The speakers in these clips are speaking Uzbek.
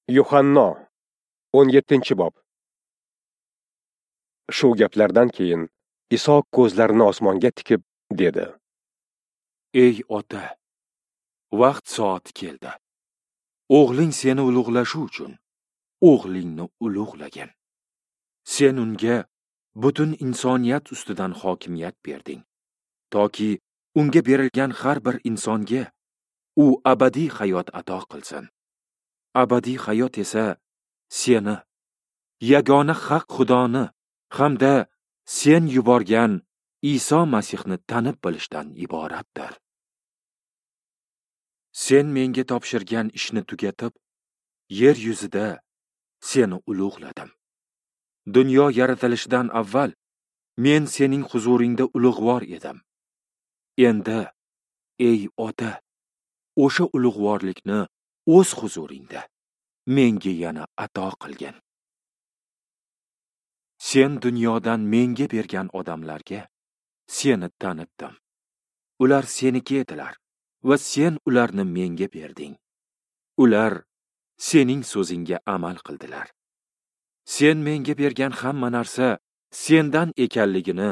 Yuhanno 17-bob. Shu gaplardan keyin Iso ko'zlarini osmonga tikib dedi: Ey ota, vaqt soati keldi. O'g'ling seni ulug'lashi uchun o'g'lingni ulug'lagin. Sen unga butun insoniyat ustidan hokimiyat berding, toki unga berilgan har bir insonga u abadiy hayot ato qilsin. Abadiy hayot esa seni, yagona haq Xudoni hamda sen yuborgan Iso Masihni tanib bilishdan iboratdir. Sen menga topshirgan ishni tugatib, yer yuzida seni ulug'ladim. Dunyo yaratilishidan avval men sening huzuringda ulug'vor edim. Endi, ey ota, o'sha ulug'vorlikni o'z huzuringda menga yana ato qilgin. Sen dunyodan menga bergan odamlarga seni tanitdim. Ular seniki edilar va sen ularni menga berding. Ular sening so'zingga amal qildilar. Sen menga bergan hamma narsa sendan ekanligini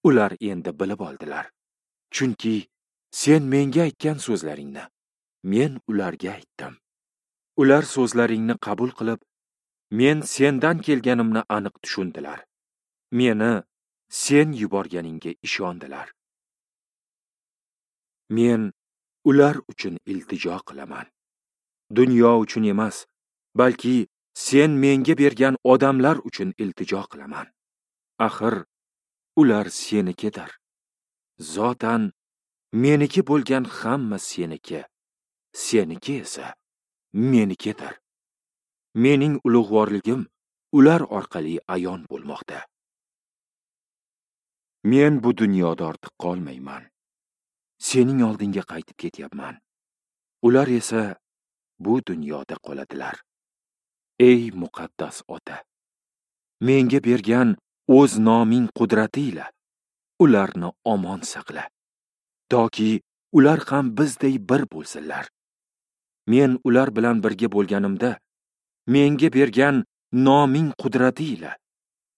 ular endi bilib oldilar. Chunki sen menga aytgan so'zlaringni men ularga aytdim. Ular so'zlaringni qabul qilib, men sendan kelganimni aniq tushundilar. Meni sen yuborganingga ishondilar. Men ular uchun iltijo qilaman. Dunyo uchun emas, balki sen menga bergan odamlar uchun iltijo qilaman. Axir ular senikidir. Zotan meniki bo'lgan hamma seniki, seniki esa menikidir. Mening ulug'vorligim ular orqali ayon bo'lmoqda. Men bu dunyoda ortiq qolmayman. Sening oldinga qaytib ketyapman. Ular esa bu dunyoda qoladilar. Ey muqaddas ota, menga bergan o'z noming qudrati ila ularni omon saqla, toki ular ham bizday bir bo'lsinlar. Men ular bilan birga bo'lganimda menga bergan noming qudrati ila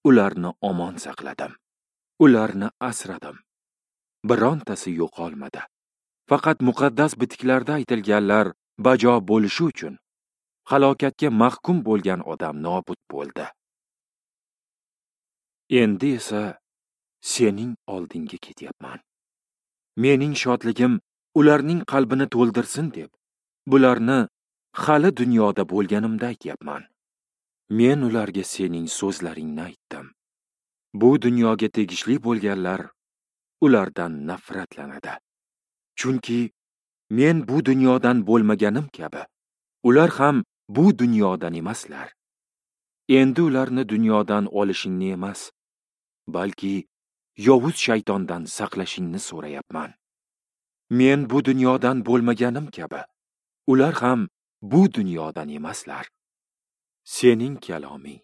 ularni omon saqladim. Ularni asradim. Birontasi yo'qolmadi. Faqat muqaddas bitiklarda aytilganlar bajo bo'lishi uchun halokatga mahkum bo'lgan odam nobud bo'ldi. Endi esa sening oldinga ketyapman. Mening shodligim ularning qalbini to'ldirsin deb, bularni hali dunyoda bo'lganimda aytyapman. Men ularga sening so'zlaringni aytdim. Bu dunyoga tegishli bo'lganlar ulardan nafratlanadi. Chunki men bu dunyodan bo'lmaganim kabi, ular ham bu dunyodan emaslar. Endi ularni dunyodan olishingni emas, balki yovuz shaytondan saqlashingni so'rayapman. Men bu dunyodan bo'lmaganim kabi, ular ham bu dunyodan emaslar. Sening kaloming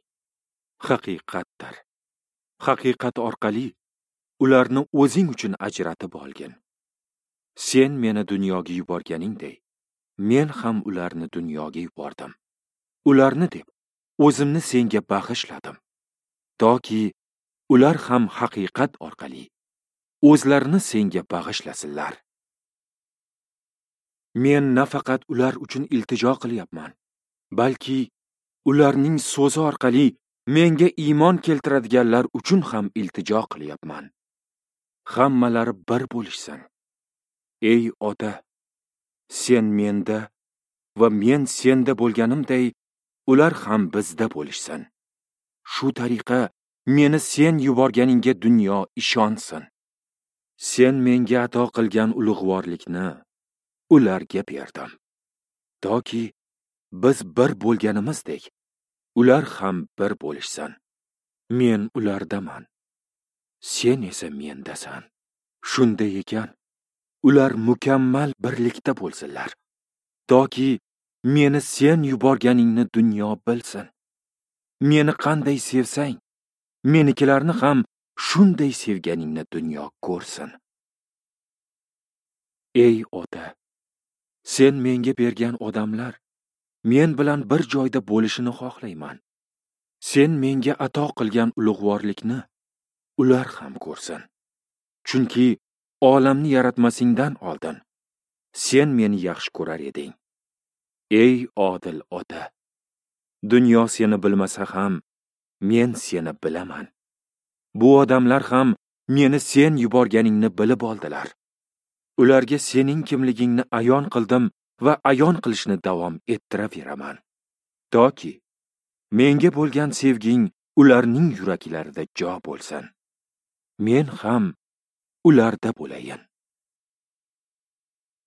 haqiqatdir. Haqiqat orqali ularni o'zing uchun ajratib olgin. Sen meni dunyoga yuborganingday, men ham ularni dunyoga yubordim. Ularni deb o'zimni senga bag'ishladim, toki ular ham haqiqat orqali o'zlarini senga bag'ishlasinlar. Men nafaqat ular uchun iltijo qilyapman, balki ularning so'zi orqali menga iymon keltiradiganlar uchun ham iltijo qilyapman. Hammalari bir bo'lishsin. Ey ota, sen menda va men senda bo'lganimday, ular ham bizda bo'lishsin. Shu tariqa meni sen yuborganingga dunyo ishonsin. Sen menga ato qilgan ulug'vorlikni ularga berdim, toki biz bir bo'lganimizdek, ular ham bir bo'lishsin. Men ulardaman, sen esa mendasan. Shunday ekan, ular mukammal birlikda bo'lsinlar, toki meni sen yuborganingni dunyo bilsin. Meni qanday sevsang, menikilarni ham shunday sevganingni dunyo ko'rsin. Ey ota, sen menga bergan odamlar men bilan bir joyda bo'lishini xohlayman. Sen menga ato qilgan ulug'vorlikni ular ham ko'rsin. Chunki olamni yaratmasingdan oldin sen meni yaxshi ko'rar eding. Ey odil ota, dunyo seni bilmasa ham men seni bilaman. Bu odamlar ham meni sen yuborganingni bilib oldilar. Ularga sening kimligingni ayon qildim va ayon qilishni davom ettiraveraman. Toki menga bo'lgan sevging ularning yuraklarida jo bo'lsin. Men ham ularda bo'layin.